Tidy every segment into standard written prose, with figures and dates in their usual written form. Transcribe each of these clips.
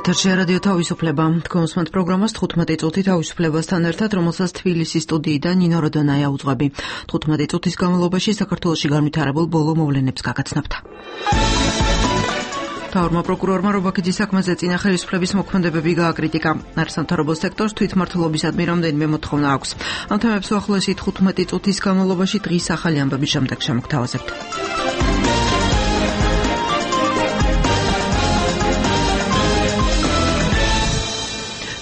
ეთერში რადიო თავისუფლება. თქვენ უსმენთ პროგრამას 15 წუთი თავისუფლებასთან ერთად, რომელსაც თბილისის სტუდიიდან ნინო როდონაია უძღვები. 15 წუთის განმავლობაში საქართველოში განვითარებულ ბოლო მოვლენებს გაგაცნობთ. მთავრმა პროკურორმა რობაქიძის საქმეზე წინა ხელისუფლების მოქმედებები გააკრიტიკა. არასამთავრობო სექტორს თვითმმართველობისადმი რამდენიმე მოთხოვნა აქვს. ამ თემებს უახლოესი 15 წუთის განმავლობაში დღის ახალი ამბების შემდეგ შემოგთავაზებთ.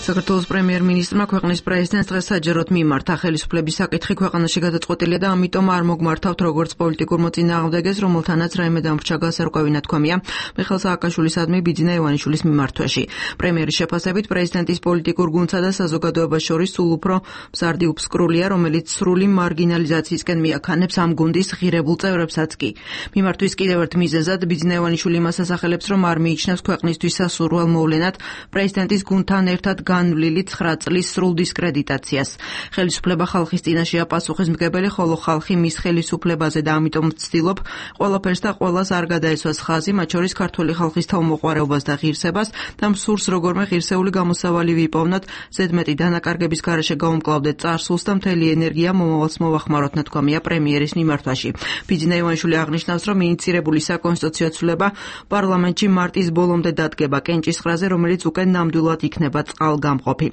საქართველოს პრემიერ-მინისტრმა ქვეყნის პრეზიდენტს დღეს საჯაროდ მიმართა. ხელისუფლების საკითხი ქვეყანაში გადაწყვეტილია და ამიტომ არ მოგმართავთ როგორც პოლიტიკურ მოწინააღმდეგეს, რომელთანაც რაიმე დამრჩა გასარკვევი ნათქვამია მიხეილ სააკაშვილისადმი ბიძინა ივანიშვილის მიმართვაში. პრემიერის შეფასებით პრეზიდენტის პოლიტიკურ გუნდსა და საზოგადოებას შორის სულ უფრო მზარდი უფსკრულია, რომელიც სრული მარგინალიზაციისკენ მიაქანებს ამ გუნდის ღირებულ წევრებსაც კი. მიმართვის კიდევ ერთ მიზეზად ბიძინა ივანიშვილი იმას ასახელებს, რომ არ მიიჩნევს ქვეყნისთვის სასურველ მოვლენად პრეზიდენტის გუნდთან ერთად განვლილი 9 წლის სრულ დისკრედიტაციას. ხელისუფლება ხალხის წინაშეა პასუხისმგებელი, ხოლო ხალხი მის ხელისუფლებაზე და ამიტომ ვცდილობ ყველაფერს და ყველას არ გადაესვას ხაზი, მათ შორის ქართული ხალხის თავმოყვარეობას და ღირსებას და მსურს როგორმე ღირსეული გამოსავალი ვიპოვნოთ, ზედმეტი დანაკარგების გარეშე გავუმკლავდეთ წარსულს და მთელი ენერგია მომავალს მოვახმაროთ, ნათქვამია პრემიერის მიმართვაში. ბიძინა ივანიშვილი აღნიშნავს, რომ ინიციირებული საკონსტიტუციო ცვლილება პარლამენტში მარტის ბოლომდე დადგება კენჭისყრაზე, რომელიც უკვე ნამდვილად იქნება წყალგამყოფი.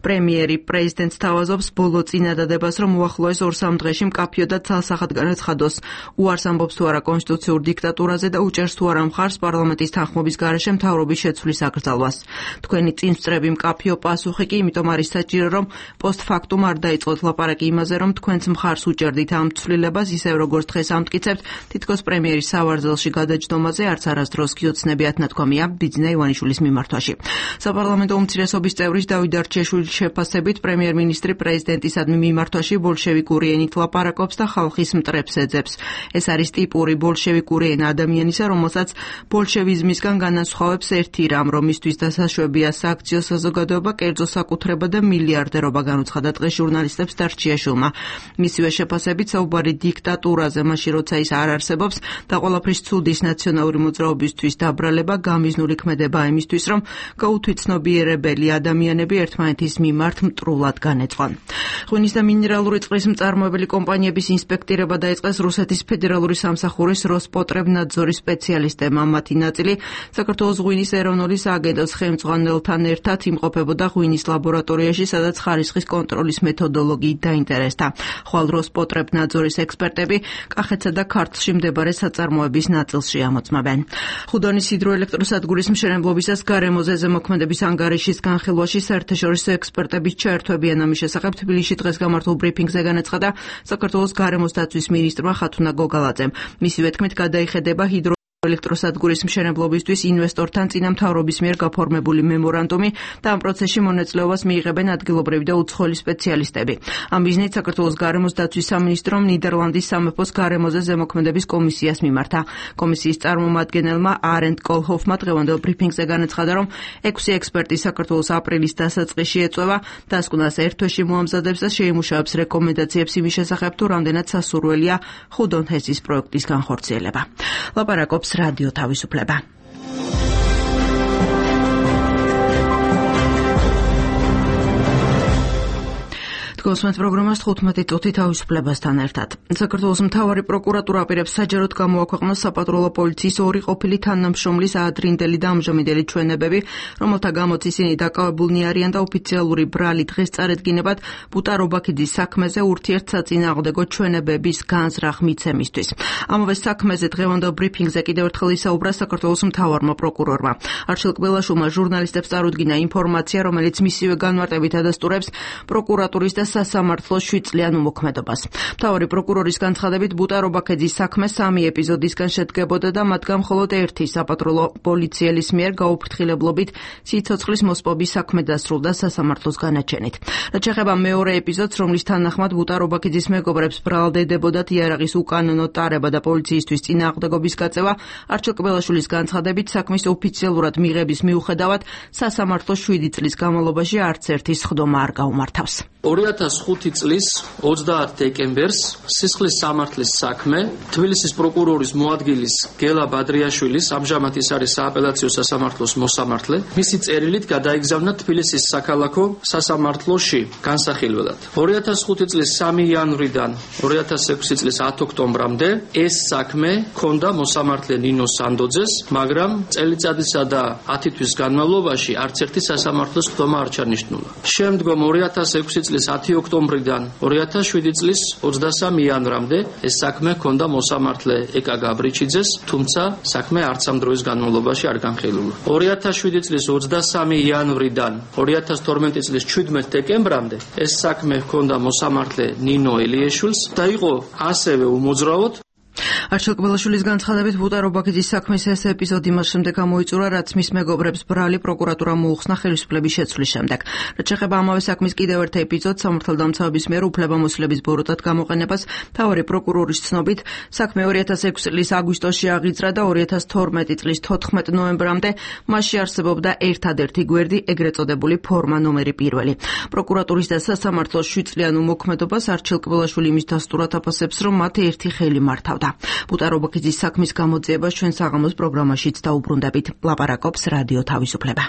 პრემიერი პრეზიდენტს თავაზობს ბოლო წინადადებას, რომ უახლოეს 2-3 დღეში მკაფიოდად ცალსახად განაცხადოს უარს ამბობს თუ არა კონსტიტუციურ დიქტატურაზე და უჭერს თუ არა მხარს პარლამენტის თანხმობის გარეშე მთავრობის შეცვლის აკრძალვას. თქვენი წინსწრები მკაფიო პასუხი კი იმიტომ არის საჭირო, რომ პოსტფაქტუმ არ დაიწყოთ ლაპარაკი იმაზე, რომ თქვენც მხარს უჭერდით ამ ცვლილებას, ისევ როგორც დღეს ამტკიცებთ, თითქოს პრემიერის სავარძელში გადაჯდომაზე არც არასდროს კი ოცნებიათ, ნათქვამია ბიძინა ივანიშვილის მიმართვაში. საპარლამენტო უმცირესობის წევრის დავით არჩიაშვილის შეფასებით პრემიერ-მინისტრი პრეზიდენტისადმი მიმართვაში ბოლშევიკური ენით ლაპარაკობს და ხალხის მტრებს ეძებს. ეს არის ტიპური ბოლშევიკური ენა ადამიანისა, რომელსაც ბოლშევიზმისგან განასხვავებს ერთი რამ, რომ მისთვის დასაშვებია სააქციო საზოგადოება, კერძო საკუთრება და მილიარდერობა, განუცხადა დღეს ჟურნალისტებს არჩიაშვილმა. მისივე შეფასებით საუბარი დიქტატურაზე, მაშინ როცა ის არ არსებობს და ყველაფრის ცუდის ნაციონალური მოძრაობისთვის დაბრალება, გამიზნული ქმედება იმისთვის, რომ გაუთვითცნობიერებელი ადამიანები ერთმანეთის მიმართ მტრულად განეწყვან. ღვინის და მინერალური წყლის მწარმოებელი კომპანიების ინსპექტირება დაიწყეს რუსეთის ფედერალური სამსახურის როსპოტრებნაძორის სპეციალისტებმა. მათი ნაწილი საქართველოს ღვინის ეროვნული სააგენტოს ხელმძღვანელთან ერთად იმყოფებოდა ღვინის ლაბორატორიაში, სადაც ხარისხის კონტროლის მეთოდოლოგიით დაინტერესდა. ხვალ როსპოტრებნაძორის ექსპერტები კახეთსა და ქართლში მდებარე საწარმოების ნაწილში ამოწმებენ. ხუდონის ჰიდროელექტროსადგურის მშენებლობისას გარემოზე ზემოქმედების ანგარიშის განხილვაში საერთაშორისო ექსპერტების ჩაერთვებიან. ამის შესახებ თბილისში დღეს გამართულ ბრიფინგზე განაცხადა საქართველოს გარემოს დაცვის მინისტრმა ხათუნა გოგალაძემ. მისივე თქმით, გადაიხედება ელექტროსადგურის მშენებლობისთვის ინვესტორთან წინა მთავრობის მიერ გაფორმებული მემორანდუმი და ამ პროცესში მონაწილეობას მიიღებენ ადგილობრივი და უცხოელი სპეციალისტები. ამ მიზნით საქართველოს გარემოს დაცვის სამინისტრომ ნიდერლანდის სამეფოს გარემოზე ზემოქმედების კომისიას მიმართა. კომისიის წარმომადგენელმა არენდ კოლჰოფმა დღევანდელ ბრიფინგზე განაცხადა, რომ 6 ექსპერტი საქართველოს აპრილის დასაწყისში ეწევა, დასკვნას ერთ თვეში მოამზადებს და შეიმუშავებს რეკომენდაციებს იმის შესახებ, თუ რამდენად სასურველია ხუდონ ჰესის პროექტის განხორციელება. ლაპარაკობს რადიო თავისუფლება. თქვენს პროგრამას 15 წუთი თავისუფლებასთან ერთად. საქართველოს მთავარი პროკურატურა აპირებს საჯაროდ გამოაქვეყნოს საპატრულო პოლიციის 2 ყოფილი თანამშრომლის აადრინდელი და ამჟამინდელი ჩვენებები, რომელთა გამოც ისინი დაკავებულნი არიან და ოფიციალური ბრალი დღეს წარედგინებად ბუტა რობაქიძის საქმეზე ურთიერთსაწინააღმდეგო ჩვენებების განზრახ მიცემისთვის. ამავე საქმეზე დღევანდელ ბრიფინგზე კიდევ ერთხელ ისაუბრა საქართველოს მთავარმა პროკურორმა. არჩილ კბელაშვილმა ჟურნალისტებს წარუდგინა ინფორმაცია, რომელიც მისივე განმარტებით ადასტურებს პროკურატურის და სასამართლოს 7 წლიან უმოქმედობას. მთავარი პროკურორის განცხადებით, ბუტა რობაქიძის საქმე 3 ეპიზოდისგან შედგებოდა და მათგან მხოლოდ ერთი საპატრულო პოლიციელის მიერ გაუფრთხილებლობით სიცოცხლის მოსპობის საქმე დასრულდა სასამართლოს განაჩენით. რაც შეეხება მეორე ეპიზოდს, რომლის თანახმად ბუტა რობაქიძის მეგობრებს ბრალდებოდათ იარაღის უკანონო ტარება და პოლიციისთვის წინააღმდეგობის გაწევა, არჩილ კბელაშვილის განცხადებით, საქმის ოფიციალურად მიღების მიუხედავად, სასამართლო 7 წლის განმავლობაში არც ერთი სხდომა არ გაუმართავს. 2005 წლის 30 დეკემბერს სისხლის სამართლის საქმე თბილისის პროკურორის მოადგილის გელა ბადრიაშვილის, ამჟამად ის არის სააპელაციო სასამართლოს მოსამართლე, მისი წერილით გადაიგზავნა თბილისის საქალაქო სასამართლოში განსახილველად. 2005 წლის 3 იანვრიდან 2006 წლის 10 ოქტომბრამდე ეს საქმე ჰქონდა მოსამართლე ნინო სანდოძეს, მაგრამ წელიწადისა და 10 თვის განმავლობაში არც ერთი სასამართლოს ხდომა არ ჩანიშნულა. შემდგომ 2006 წლის 10 ოქტომბრიდან 2007 წლის 23 იანვრამდე ეს საქმე ჰქონდა მოსამართლე ეკა გაბრიჩიძეს, თუმცა საქმე არც ამ დროის განმავლობაში არ განხილულა. 2007 წლის 23 იანვრიდან 2012 წლის 17 დეკემბრამდე ეს საქმე ჰქონდა მოსამართლე ნინო ელიეშვილს და იყო ასევე უმოძრავოდ. არჩილ კბილაშვილის განცხადებით ბუტარო ბაქიძის საქმის ეს ეპიზოდი მას შემდეგ გამოიწურა, რაც მის მეგობრებს ბრალი პროკურატურა მოუხსნა ხელისუფლების შეცვლის შემდეგ. რაც შეეხება ამავე საქმის კიდევ ერთ ეპიზოდს, სამართალდამცავების მიერ უფლებამოსილების ბოროტად გამოყენებას, მთავარი პროკურორის ცნობით, საქმე 2006 წლის აგვისტოში აღიძრა და 2012 წლის 14 ნოემბრამდე მასში არსებობდა ერთადერთი გვერდი, ეგრეთ წოდებული ფორმა ნომერი 1. პროკურატურის და სასამართლოს 7 წლიან უმოქმედობას არჩილ კბილაშვილი იმის დასტურად აფასებს, რომ მათ ერთი ხელი მართავდა. ბუტარო ბაქიძის საქმის გამოძიებას ჩვენ საღამოს პროგრამაშიც დაუბრუნდებით. ლაპარაკობს რადიო თავისუფლება.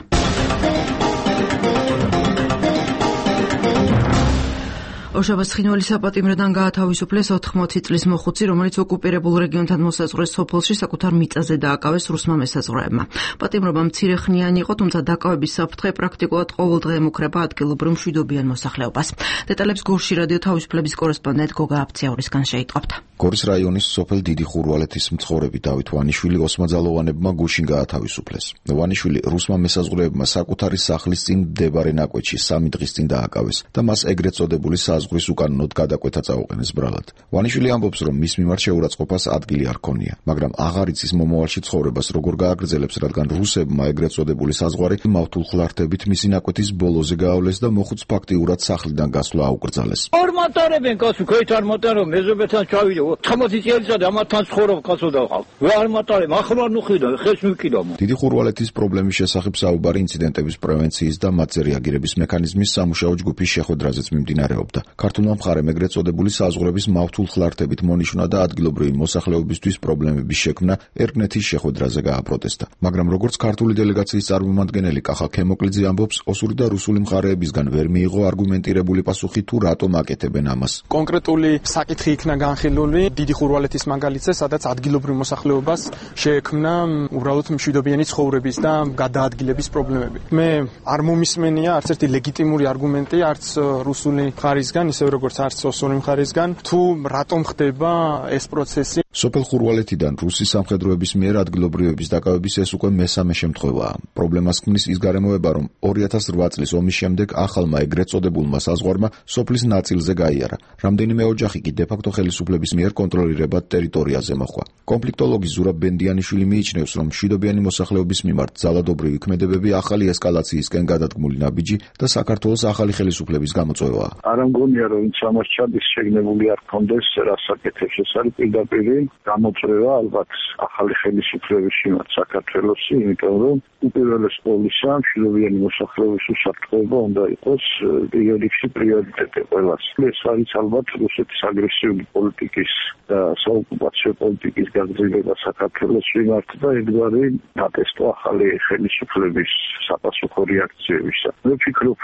ორშაბათს ცხინვალის საპატიმროდან გაათავისუფლეს 80 წლის მოხუცი, რომელიც ოკუპირებულ რეგიონთან მოსაზღვრეს სოფელში საკუთარ მიწაზე დააკავეს რუსმა მესაზღვრეებმა. პატიმრობა მცირეხნიანი იყო, თუმცა დაკავების საფრთხე პრაქტიკულად ყოველდღე ემუქრება ადგილობრივ მშვიდობიან მოსახლეობას. დეტალებს გორში რადიო თავისუფლების კორესპონდენტ გოგა აფციაურისგან შეიტყობთ. გორის რაიონის სოფელ დიდი ხურვალეთის მცხოვრები დავით ვანიშვილი ოსმაძალოვანებმა გუშინ გაათავისუფლეს. ვანიშვილი რუსმა მესაზღვრეებმა საკუთარი სახლის წინ მდებარე ნაკვეთში 3 დღის წინ დააკავეს და მას ეგრეთ წოდებული საზღვრის უკანონოდ გადაკვეთა წაუყენეს ბრალად. ვანიშვილი ამბობს, რომ მის მიმართ შეურაცხყოფას ადგილი არ ქონია, მაგრამ აღარ იცის მომავალში ცხოვრებას როგორ გააგრძელებს, რადგან რუსებმა ეგრეთ წოდებული საზღვარი მავთულ ხლართებით მისი ნაკვეთის ბოლოზე გაავლეს და მოხუც ფაქტიურად სახლიდან გასვლა აუკრძალეს. ორმატარებენ კაცო, ქეთ არ მატარო, მეზობებთან ჩავიდე. 80 წელიწად ამათთან ცხოვრობ კაცო დავყავ. ვერ მატარებ, ახლა ნუხიდა, ხეს მიკიდო. დიდი ხურვალეთის პრობლემის შესახებ საუბარი ინციდენტების პრევენციის და მათზე რეაგირების მექანიზმის სამუშაო ჯგუფის შეხვედრაზეც მიმდინარეობდა. ქართულმა მხარემ ეგრეთ წოდებული საზღვრების მავთულ ხლართებით მონიშნა და ადგილობრივი მოსახლეობისთვის პრობლემების შექმნა ერგნეთის შეხვედრაზე გააპროტესტა. მაგრამ როგორც ქართული დელეგაციის წარმომადგენელი კახა ქემოკლიძე ამბობს, ოსური და რუსული მხარეებისგან ვერ მიიღო არგუმენტირებული პასუხი თუ რატომ აკეთებენ ამას. კონკრეტული საკითხი იქნა განხილული დიდი ხურვალეთის მაგალითზე, სადაც ადგილობრივ მოსახლეობას შეექმნა უბრალოდ მშვიდობიანი ცხოვრების და გადაადგილების პრობლემები. მე არ მომისმენია არც ერთი ლეგიტიმური არგუმენტი, არც რუსული მხარისგან, ისე როგორც არც ოსური მხარისგან, თუ რატომ ხდება ეს პროცესი. სოფელ ხურვალეთიდან რუსი სამხედროების მიერ ადგილობრივების დაკავების ეს უკვე მესამე შემთხვევაა. პრობლემას ქმნის ის გარემოება, რომ 2008 წლის ომის შემდეგ ახალმა ეგრეთ წოდებულმა საზღვარმა სოფლის ნაწილზე გაიარა. რამდენიმე ოჯახი კი დე-ფაქტო ხელისუფლების მიერ კონტროლირებად ტერიტორიაზე მოხდა. კონფლიქტოლოგი ზურაბ ბენდიანიშვილი მიიჩნევს, რომ მშვიდობიანი მოსახლეობის მიმართ ძალადობრივი ქმედებები ახალი ესკალაციისკენ გადადგმული ნაბიჯი და საქართველოს ახალი ხელისუფლების გამოწვევაა. არ ამგონია, რომ ამას ჩადის შეგნებული არ ქონდეს რასაკეთებს. ეს არის პირდაპირ გამოწვევა ალბათ ახალი ხელისუფლების მიმართ საქართველოსი, იმიტომ რომ უპირველეს ყოვლისა მშვიდობიანი მოსახლეობის უსაფრთხოება უნდა იყოს პირიქში პრიორიტეტი ყველას. ეს არის ალბათ რუსეთის აგრესიული პოლიტიკის და საოკუპაციო პოლიტიკის გაგრძელება საქართველოს მიმართ და ეგგვარი დატესტო ახალი ხელისუფლების საპასუხო რეაქციებისა. მე ვფიქრობ,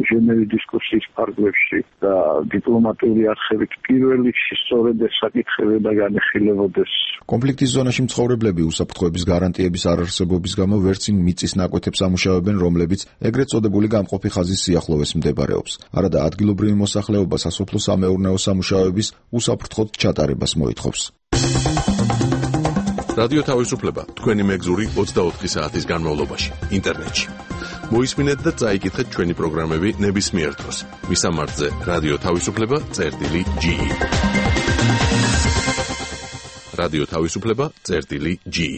ჟენევის დისკუსიის ფარგლებში და დიპლომატიური არხებით პირველ რიგში სწორედ ეს საკითხები და განხილებოდეს. კონფლიქტის ზონაში მცხოვრებლები უსაფრთხოების გარანტიების არარსებობის გამო ვერცინ მიწის ნაკვეთებს ამუშავებენ, რომლებიც ეგრეთ წოდებული გამყოფი ხაზის სიახლოვეს მდებარეობს. არადა ადგილობრივი მოსახლეობა სასოფლო-სამეურნეო სამუშაოების უსაფრთხოდ ჩატარებას მოითხოვს. რადიო თავისუფლება თქვენი მეგზური 24 საათის განმავლობაში ინტერნეტში. მოისმინეთ და წაიკითხეთ ჩვენი პროგრამები ნებისმიერ დროს. მისამართზე რადიო თავისუფლება.ge. რადიო თავისუფლება.ge.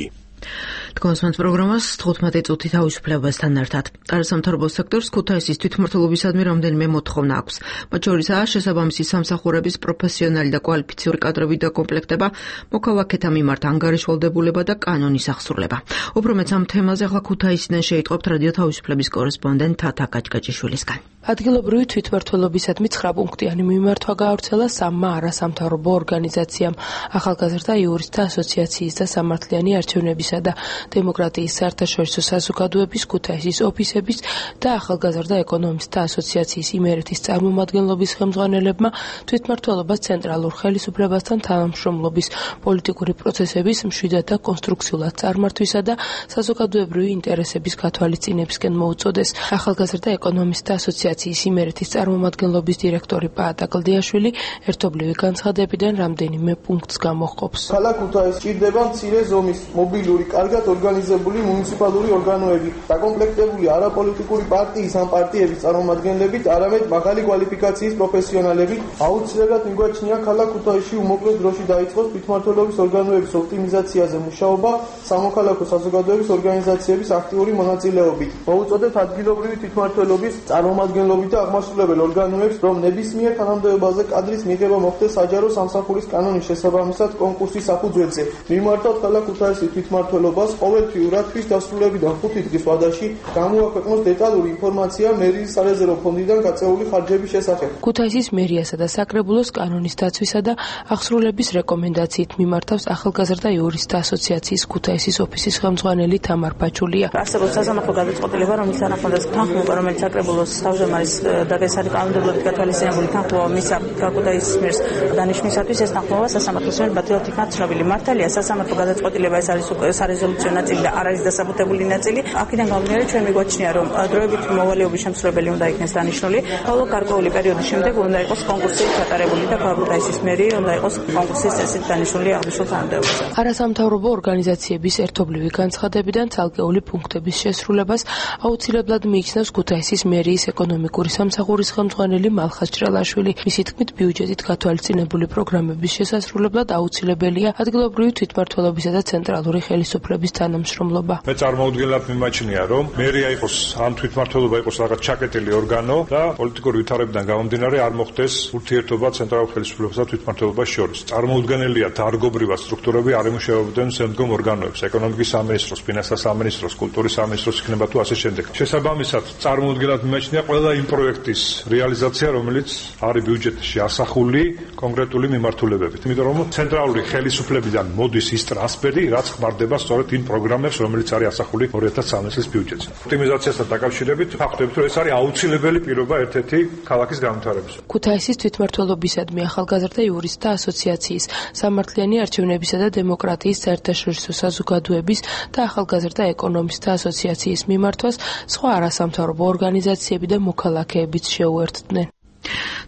თქვენს პროგრამას 15 წუთი თავისუფლებასთან ერთად. არასამთავრობო სექტორს ქუთაისის თვითმმართველობისადმი რამდენიმე მოთხოვნა აქვს. მათ შორისაა შესაბამისი სამსახურების პროფესიონალი და კვალიფიციური კადრების დაკომპლექტება, მოქალაქეთა მიმართ ანგარიშვალდებულება და კანონის აღსრულება. უფრო მეც ამ თემაზე ახლა ქუთაისიდან შეიტყობთ რადიო თავისუფლების კორესპონდენტ თათა კაჭკაჭიშვილისგან. ადგილობრივი თვითმმართველობისადმი 9 პუნქტიანი მიმართვა გაავრცელა 3 არასამთავრობო ორგანიზაციამ: ახალგაზრდა იურისტთა ასოციაციის და სამართლიანი არჩევნებისა და დემოკრატიის საერთაშორისო საზოგადოების ქუთაისის ოფისების და ახალგაზრდა ეკონომისტთა ასოციაციის იმერეთის წარმომადგენლობის ხელმძღვანელებმა თვითმმართველობას ცენტრალურ ხელისუფლებასთან თანამშრომლობის, პოლიტიკური პროცესების მშვიდად და კონსტრუქციულად წარმართვისა და საზოგადოებრივი ინტერესების გათვალისწინებისკენ მოუწოდეს. ახალგაზრდა ეკონომისტთა ასოციაციის იმერეთის წარმომადგენლობის დირექტორი პაატა კლდიაშვილი ერთობლივი განცხადებიდან რამდენიმე პუნქტს გამოჰყოფს. ქალაქ ქუთაისს ჭირდება მცირე ზომის, მობილური, კარგად ორგანიზებული მუნიციპალური ორგანოები, დაკომპლექტებული არაპოლიტიკური პარტიის ან პარტიების წარმომადგენლებით, არამედ მაღალი კვალიფიკაციის პროფესიონალებით. აუცილებლად მიგვაჩნია ქალაქ ქუთაისში უმოკლე დროში დაიწყოს თვითმმართველობის ორგანოების ოპტიმიზაციაზე მუშაობა სამოქალაქო საზოგადოების ორგანიზაციების აქტიური მონაწილეობით. მოუწოდებთ ადგილობრივი თვითმმართველობის წარმომადგენლობით და აღმასრულებელ ორგანოებს, რომ ნებისმიერ თანამდებობაზე კადრის მიღება მოხდეს საჯარო სამსახურის კანონის შესაბამისად კონკურსის საფუძველზე. მიმართავთ ქალაქ ქუთაისის თვითმმართველობას ყოველთვიურად თვის დასრულებიდან 5 დღის ვადაში გამოაქვეყნოს დეტალური ინფორმაცია მერიის სარეზერვო ფონდიდან გაწეული ხარჯების შესახებ. ქუთაისის მერიასა და საკრებულოს კანონის დაცვისა და აღსრულების რეკომენდაციით მიმართავს ახალგაზრდა იურისტთა ასოციაციის ქუთაისის ოფისის ხელმძღვანელი თამარ ბაჩულია. არსებობს სასამართლო გადაწყვეტილება, რომლის თანახმადაც თანხმობა, რომელიც საკრებულოს თავმჯდომარის დაგესარი კანონმდებლობით გათვალისწინებული თანხმობა მისცა ქუთაისის მერს დანიშვნისათვის, ეს თანხმობა სასამართლოს მიერ ბათილად იქნა ცნობილი. მართალია, სასამართლო გადაწყვეტილება ეს არის სარეზოლუციო ნაწილი და არ არის დასაბუთებული ნაწილი. აქედან გამომდინარე, ჩვენ მიგვაჩნია, რომ დროებით მოვალეობის შემსრულებელი უნდა იქნეს დანიშნული, ხოლო გარკვეული პერიოდის შემდეგ უნდა იყოს კონკურსი ჩატარებული და ქუთაისის მერი უნდა იყოს კონკურსის წესით დანიშნული აღნიშნულ თანამდებობაზე. არასამთავრობო ორგანიზაციების ერთობლივი განცხადებიდან ცალკეული პუნქტების შესრულებას აუცილებლად მიიჩნევს ქუთაისის მერიის ეკონომიკური სამსახურის ხელმძღვანელი მალხაზ ჭრელაშვილი. მისი თქმით, ბიუჯეტით გათვალისწინებული პროგრამების შესასრულებლად აუცილებელია ადგილობრივი თვითმმართველობისა და ცენტრალური ხელისუფლების თანამშრომლობა. მე წარმოუდგენლად მიმაჩნია, რომ მერია იყოს ან თვითმმართველობა იყოს რაღაც ჩაკეტილი ორგანო და პოლიტიკური ვითარებიდან გამომდინარე არ მოხდეს ურთიერთობა ცენტრალურ ხელისუფლებას და თვითმმართველობას შორის. წარმოუდგენელია დარგობრივად სტრუქტურები არ ემუშავებოდნენ შემდგომ ორგანოებს, ეკონომიკის სამინისტროს, ფინანსთა სამინისტროს, კულტურის სამინისტროს იქნება თუ ასე შემდეგ. შესაბამისად, წარმოუდგენლად მიმაჩნია ყველა იმ პროექტის რეალიზაცია, რომელიც არის ბიუჯეტში ასახული კონკრეტული მიმართულებებით. იმიტომ რომ ცენტრალური ხელისუფლებიდან მოდის ის ტრანსფერი, რაც ხმარდება სწორედ იმ პროგრამებს, რომელიც არის ასახული 2013 წლის ბიუჯეტზე. ოპტიმიზაციასთან დაკავშირებით ვახდებით, რომ ეს არის აუცილებელი პირობა ერთ-ერთი ქალაქის განვითარების. ქუთაისის თვითმმართველობისადმი ახალგაზრდა იურისტთა ასოციაციის, სამართლიანი არჩევნებისა და დემოკრატიის საერთაშორისო საზოგადოების და ახალგაზრდა ეკონომისტთა ასოციაციის მიმართვას სხვა არასამთავრობო ორგანიზაციები და მოქალაქეებიც შეუერთდნენ.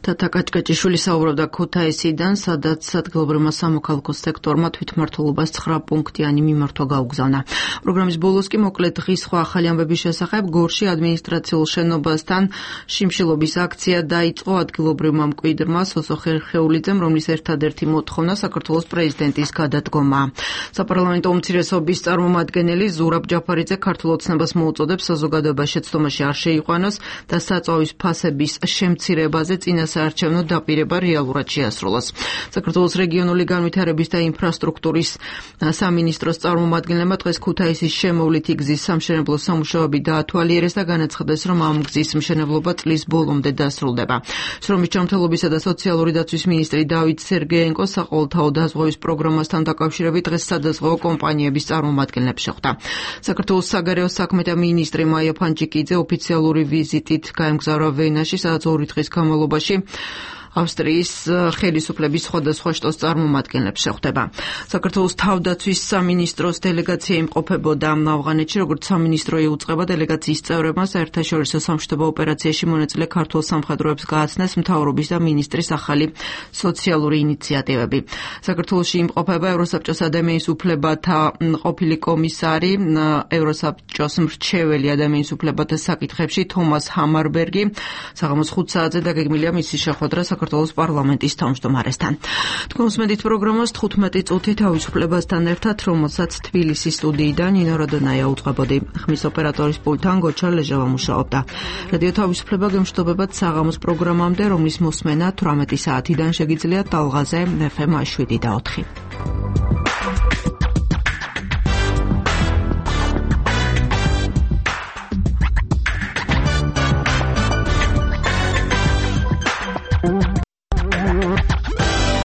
თათა კაჭკაჭიშვილი საუბრობდა ქუთაისიდან, სადაც ადგილობრივმა სამოქალაქო სექტორმა თვითმმართველობას 9 პუნქტიანი მიმართვა გაუგზავნა. პროგრამის ბოლოს კი მოკლედ დღის სხვა ახალი ამბების შესახებ გორში ადმინისტრაციულ შენობასთან შიმშილობის აქცია დაიწყო ადგილობრივმა მკვიდრმა სოსო ხერხეულიძემ, რომლის ერთადერთი მოთხოვნა საქართველოს პრეზიდენტის გადადგომა. საპარლამენტო უმცირესობის წარმომადგენელი ზურაბ ჯაფარიძე ქართულ ოცნებას მოუწოდებს საზოგადოებას შეცდომაში არ შეიყვანოს და საწვავის ფასების შემცირებაზე წინასაარჩევნო დაპირება რეალურად შეასრულოს. საქართველოს რეგიონული განვითარების და ინფრასტრუქტურის სამინისტროს წარმომადგენლებმა დღეს ქუთაისის შემოვლითი გზის სამშენებლო სამუშაოები დაათვალიერეს და განაცხადეს, რომ ამ გზის მშენებლობა წლის ბოლომდე დასრულდება. შრომის ჯანმრთელობისა და სოციალური დაცვის მინისტრი დავით სერგეენკო საყოველთაო დაზღვევის პროგრამასთან დაკავშირებით დღეს სადაზღვეო კომპანიების წარმომადგენლებს შეხვდა. საქართველოს საგარეო საქმეთა მინისტრი მაია ფანჯიკიძე ოფიციალური ვიზიტით გაემგზავრა ვენაში, სადაც 2 დღის განმავლობაში ავსტრიის ხელისუფლების სხვადასხვა შტოს წარმომადგენლებს შეხვდება. საქართველოს თავდაცვის სამინისტროს დელეგაცია იმყოფებოდა ავღანეთში, როგორც სამინისტრო იუწყება დელეგაციის წევრებმა საერთაშორისო სამშვიდობო ოპერაციაში მონაწილე ქართულ სამხედროებს გააცნეს მთავრობის და მინისტრის ახალი სოციალური ინიციატივები. საქართველოში იმყოფება ევროსაბჭოს ადამიანის უფლებათა ყოფილი კომისარი, ევროსაბჭოს მრჩეველი ადამიანის უფლებათა საკითხებში თომას ჰამარბერგი. საღამოს 5 საათზე დაგეგმილია მისი შეხვედრა საქართველოს პარლამენტის თავმჯდომარესთან. თქვენ უსმენთ პროგრამას 15 წუთი თავისუფლებასთან ერთად, რომელსაც თბილისის სტუდიიდან ნინო როდონაია უწყებოდი. ხმის ოპერატორის პულტთან გოჩა ლეჟავა მუშაობდა. რადიო თავისუფლება გემშვიდობებათ საღამოს პროგრამამდე, რომლის მოსმენა 18 საათიდან შეგიძლიათ ტალღაზე FM 7 და 4.